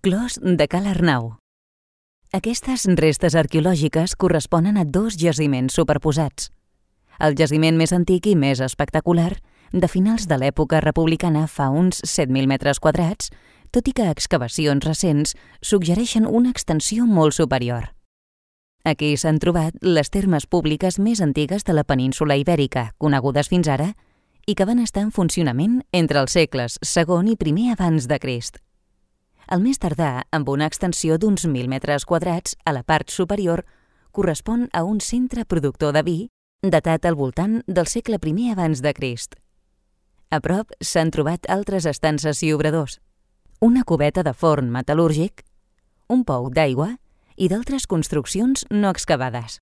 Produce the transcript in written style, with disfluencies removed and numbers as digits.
Clos de Cal Arnau. Aquestes restes arqueològiques corresponen a dos jaciments superposats. El jaciment més antic i més espectacular, de finals de l'època republicana fa uns 7.000 metres quadrats, tot i que excavacions recents suggereixen una extensió molt superior. Aquí s'han trobat les termes públiques més antigues de la península Ibèrica, conegudes fins ara, i que van estar en funcionament entre els segles II i I abans de Crist. El més tardà, amb una extensió d'uns 1.000 metres quadrats a la part superior, correspon a un centre productor de vi datat al voltant del segle I abans de Crist. A prop s'han trobat altres estances i obradors, una cubeta de forn metal·lúrgic, un pou d'aigua i d'altres construccions no excavades.